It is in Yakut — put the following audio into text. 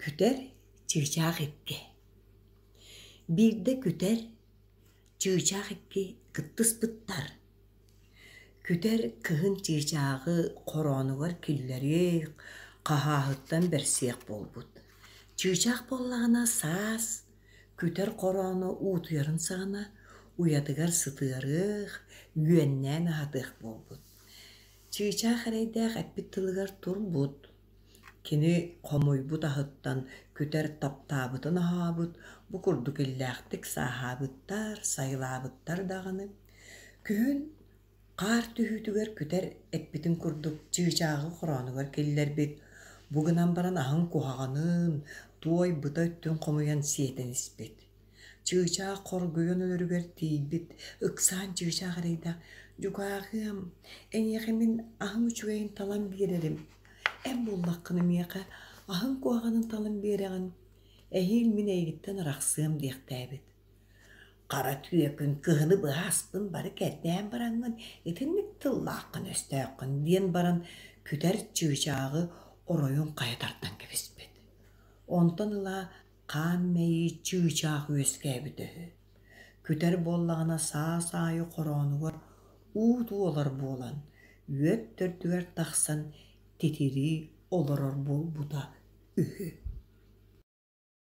Күтэр чыычаах икки. Биирдэ күтэр чыычаах икки кыттыспыттар. Күтэр кыһын чыычааҕы хороонугар киллэриэх, хаһааһыттан бэрсиэх буолбут. Чыычаах буоллаҕына саас күтэр хороону уутуйарын саҕана уйатыгар сытыарыах, үөннээн аһатыах буолбут. Чыычаах эрэйдээх эппит тылыгар турбут. Кини хомуйбут аһыттан күтэр таптаабытын аһаабыт, бу курдук иллээхтик сааһаабыттар, сайылаабыттар даҕаны. Күһүн хаар түһүүтүгэр күтэр эппитин курдук чыычааҕы хороонугар киллэрбит, бу гынан баран аһын куһаҕанын, туой быта өттүн хомуйан сиэтэн испит. Чыычаах хоргуйан өлөрүгэр тиийбит, ыксаан чыычаах эрэйдээх «Дьукааҕыам, эйиэхэ мин аһым үчүгэйин талан биэрэрим, эн буллаххына миэхэ аһыҥ куһаҕанын талан биэрэҕин, эһиил мин эйигиттэн арахсыам» диэхтээбит. Хара түөкүн кыһыны быһа аспын бары кэрдээн бараҥҥын итинник тыллааххын-өстөөххүн диэн баран күтэр чыычааҕы оройун хайа тардан кэбиспит. Онтон ыла хаан мэйии чыычаах үөскээбитэ үһү. Күтэр буоллаҕына саас аайы хороонугар уу туолар буолан, үөт төрдүгэр тахсан титирии олорор буолбута үһү.